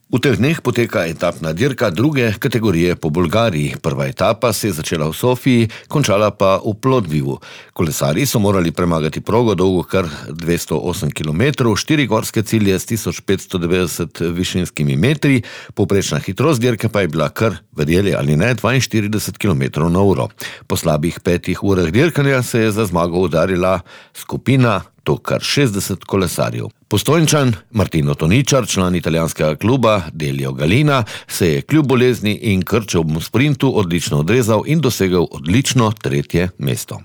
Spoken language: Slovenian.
V teh dneh poteka etapna dirka druge kategorije po Bolgariji. Prva etapa se je začela v Sofiji, končala pa v Plodvivu. Kolesarji so morali premagati progo dolgo kar 208 km, 4 gorske cilje s 1590 višinskimi metri, povprečna hitrost dirke pa je bila kar, verjeli ali ne, 42 km/h. Po slabih 5 urah dirkanja se je za zmago udarila skupina, to kar 60 kolesarjev. Postojnčan Martino Toničar, član italijanskega kluba Delio Galina, se je kljub bolezni in krčevemu sprintu odlično odrezal in dosegel odlično 3. mesto.